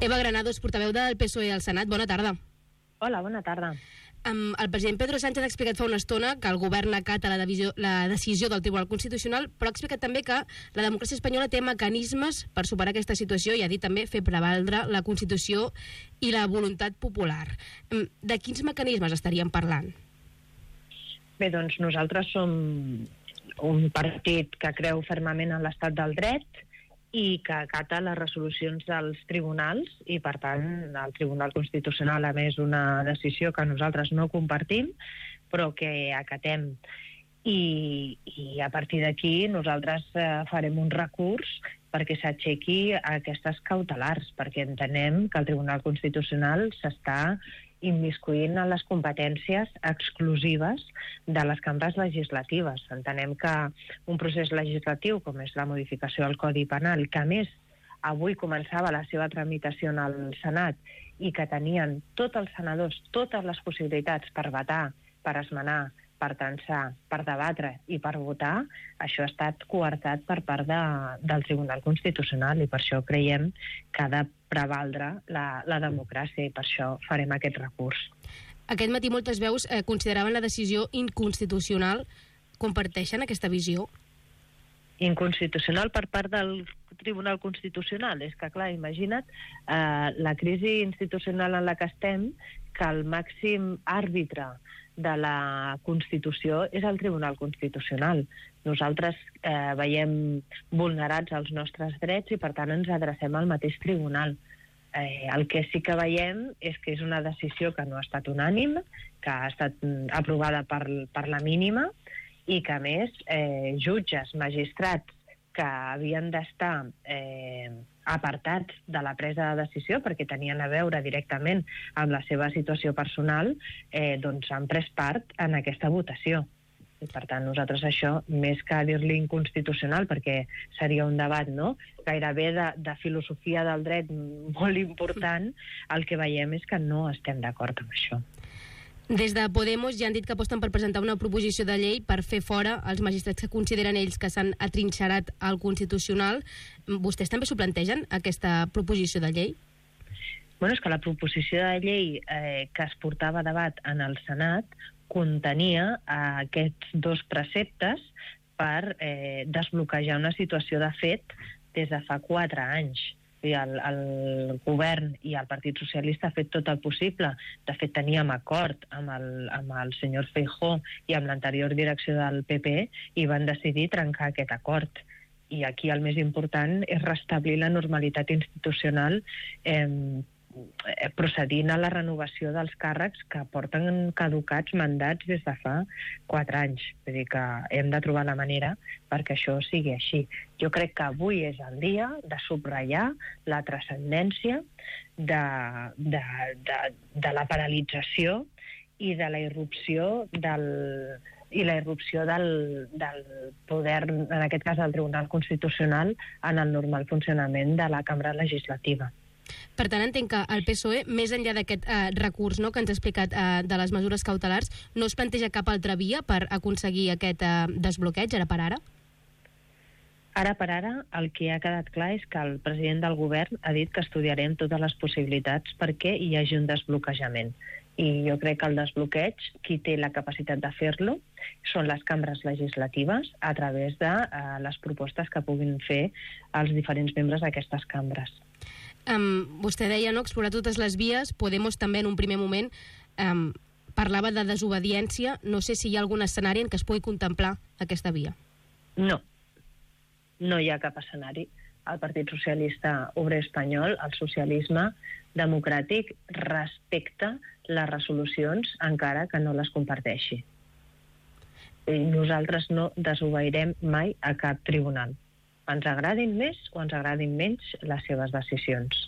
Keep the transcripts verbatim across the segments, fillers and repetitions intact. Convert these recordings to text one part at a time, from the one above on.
Eva Granados, portaveu del P S O E al Senat. Bona tarda. Hola, bona tarda. Um, el president Pedro Sánchez ha explicat fa una estona que el govern acata la, divisió, la decisió del Tribunal Constitucional, però ha explicat també que la democràcia espanyola té mecanismes per superar aquesta situació i ha dit també fer prevaldre la Constitució i la voluntat popular. Um, de quins mecanismes estaríem parlant? Bé, doncs nosaltres som un partit que creu fermament en l'estat del dret i que acata les resolucions dels tribunals i, per tant, el Tribunal Constitucional ha emès una decisió que nosaltres no compartim, però que acatem. I, i a partir d'aquí nosaltres eh, farem un recurs perquè s'aixequi aquestes cautelars, perquè entenem que el Tribunal Constitucional s'està immiscuint en les competències exclusives de les cambres legislatives. Entenem que un procés legislatiu, com és la modificació del Codi Penal, que a més avui començava la seva tramitació en el Senat i que tenien tots els senadors totes les possibilitats per vetar, per esmenar, per tensar, per debatre i per votar, això ha estat coartat per part de, del Tribunal Constitucional i per això creiem que ha de prevaldre la, la democràcia i per això farem aquest recurs. Aquest matí moltes veus eh, consideraven la decisió inconstitucional. Comparteixen aquesta visió? Inconstitucional per part del Tribunal Constitucional? És que, clar, imagina't eh, la crisi institucional en la que estem, que el màxim àrbitre de la Constitució és el Tribunal Constitucional. Nosaltres eh, veiem vulnerats els nostres drets i per tant ens adrecem al mateix tribunal. Eh, el que sí que veiem és que és una decisió que no ha estat unànim, que ha estat aprovada per, per la mínima i que a més eh, jutges, magistrats que havien d'estar eh, apartats de la presa de decisió perquè tenien a veure directament amb la seva situació personal, eh, doncs han pres part en aquesta votació. I per tant nosaltres això, més que dir-li inconstitucional, perquè seria un debat, no?, gairebé de, de filosofia del dret molt important, el que veiem és que no estem d'acord amb això. Des de Podemos ja han dit que aposten per presentar una proposició de llei per fer fora els magistrats que consideren ells que s'han atrinxerat al Constitucional. Vostès també s'ho plantegen, aquesta proposició de llei? Bueno, és que la proposició de llei eh, que es portava a debat en el Senat contenia eh, aquests dos preceptes per eh, desbloquejar una situació de fet des de fa quatre anys. El, el govern i el Partit Socialista ha fet tot el possible. De fet, teníem acord amb el, amb el senyor Feijóo i amb l'anterior direcció del P P i van decidir trencar aquest acord. I aquí el més important és restablir la normalitat institucional eh, procedint a la renovació dels càrrecs que porten caducats mandats des de fa quatre anys. Vull dir que hem de trobar la manera perquè això sigui així. Jo crec que avui és el dia de subratllar la transcendència de, de, de, de la paralització i de la irrupció del i la irrupció del, del poder, en aquest cas del Tribunal Constitucional, en el normal funcionament de la cambra legislativa. Per tant, entenc que el P S O E, més enllà d'aquest eh, recurs, no?, que ens ha explicat eh, de les mesures cautelars, no es planteja cap altra via per aconseguir aquest eh, desbloqueig, ara per ara? Ara per ara, el que ha quedat clar és que el president del govern ha dit que estudiarem totes les possibilitats perquè hi hagi un desbloquejament. I jo crec que el desbloqueig, qui té la capacitat de fer-lo, són les cambres legislatives a través de eh, les propostes que puguin fer els diferents membres d'aquestes cambres. Um, vostè deia, no?, explorar totes les vies. Podemos també en un primer moment um, parlava de desobediència. No sé si hi ha algun escenari en què es pugui contemplar aquesta via. No, no hi ha cap escenari. El Partit Socialista Obrer Espanyol, el socialisme democràtic, respecta les resolucions encara que no les comparteixi. I nosaltres no desobeirem mai a cap tribunal. Ens agradin més o ens agradin menys les seves decisions.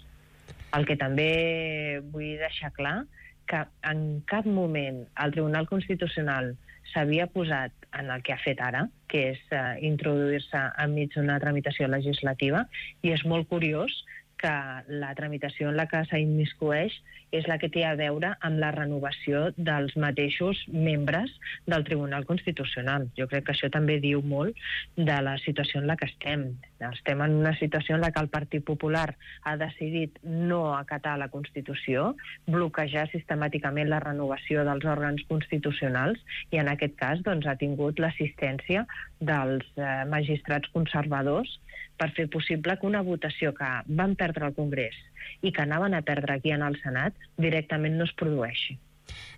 El que també vull deixar clar que en cap moment el Tribunal Constitucional s'havia posat en el que ha fet ara, que és eh, introduir-se enmig d'una tramitació legislativa, i és molt curiós que la tramitació en la que s'immiscueix és la que té a veure amb la renovació dels mateixos membres del Tribunal Constitucional. Jo crec que això també diu molt de la situació en la que estem. Estem en una situació en la que el Partit Popular ha decidit no acatar la Constitució, bloquejar sistemàticament la renovació dels òrgans constitucionals i en aquest cas doncs, ha tingut l'assistència dels eh, magistrats conservadors per fer possible que una votació que van perdre al Congrés i que anaven a perdre aquí en el Senat directament no es produeixi.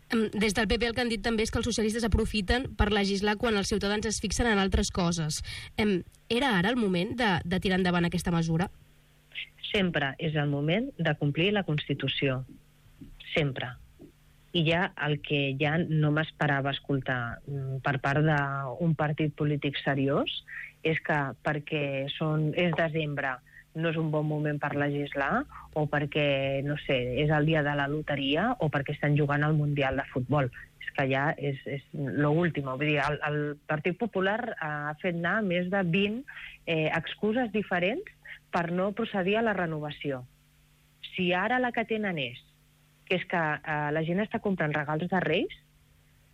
Des del P P el que han dit també és que els socialistes aprofiten per legislar quan els ciutadans es fixen en altres coses. Era ara el moment de, de tirar endavant aquesta mesura? Sempre és el moment de complir la Constitució. Sempre. I ja el que ja no m'esperava escoltar per part d'un partit polític seriós és que perquè són, és desembre no és un bon moment per legislar o perquè, no sé, és el dia de la loteria o perquè estan jugant al Mundial de Futbol. És que ja és, és l'últim. Vull dir, el, el Partit Popular ha fet anar més de vint eh, excuses diferents per no procedir a la renovació. Si ara la que tenen és que és que eh, la gent està comprant regals de Reis,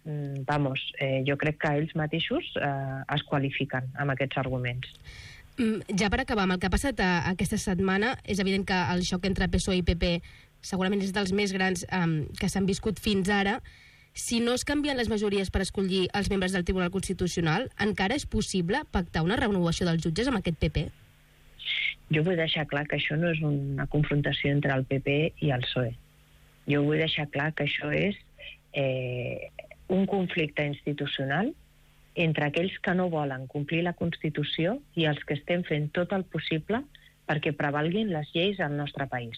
mm, vamos, eh, jo crec que ells mateixos eh, es qualifiquen amb aquests arguments. Ja per acabar, amb el que ha passat a, aquesta setmana, és evident que el xoc entre P S O E i P P segurament és dels més grans um, que s'han viscut fins ara. Si no es canvien les majories per escollir els membres del Tribunal Constitucional, encara és possible pactar una renovació dels jutges amb aquest P P? Jo vull deixar clar que això no és una confrontació entre el P P i el P S O E. Jo vull deixar clar que això és eh, un conflicte institucional entre aquells que no volen complir la Constitució i els que estem fent tot el possible perquè prevalguin les lleis al nostre país.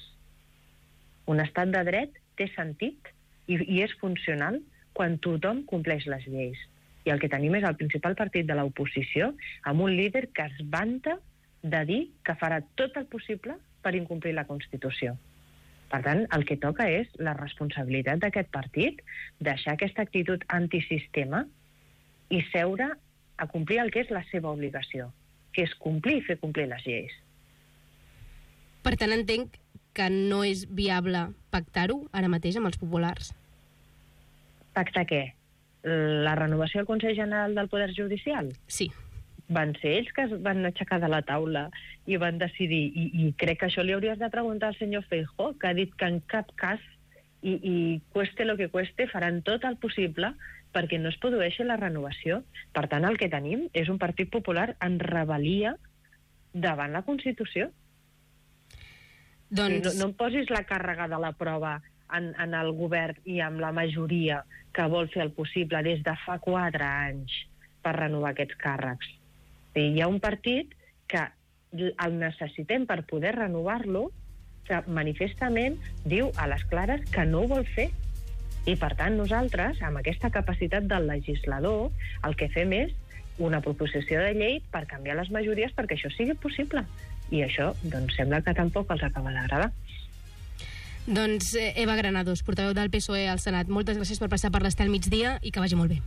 Un estat de dret té sentit i, i és funcional quan tothom compleix les lleis. I el que tenim és el principal partit de l'oposició amb un líder que es vanta de dir que farà tot el possible per incomplir la Constitució. Per tant, el que toca és la responsabilitat d'aquest partit, deixar aquesta actitud antisistema i seure a complir el que és la seva obligació, que és complir i fer complir les lleis. Per tant, entenc que no és viable pactar-ho ara mateix amb els populars. Pactar què? La renovació del Consell General del Poder Judicial? Sí. Van ser ells que es van aixecar de la taula i van decidir, i, i crec que això li hauries de preguntar al senyor Feijóo, que ha dit que en cap cas, i, i cueste lo que cueste, faran tot el possible perquè no es produeixi la renovació. Per tant, el que tenim és un Partit Popular en rebel·lia davant la Constitució. Doncs... No, no em posis la càrrega de la prova en, en el govern i amb la majoria que vol fer el possible des de fa quatre anys per renovar aquests càrrecs. Hi ha un partit que el necessitem per poder renovar-lo, que manifestament diu a les clares que no ho vol fer. I, per tant, nosaltres, amb aquesta capacitat del legislador, el que fem és una proposició de llei per canviar les majories perquè això sigui possible. I això, doncs, sembla que tampoc els acaba d'agradar. Doncs Eva Granados, portaveu del P S O E al Senat, moltes gràcies per passar per l'Estel Migdia i que vagi molt bé.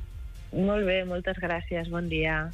Molt bé, moltes gràcies, bon dia.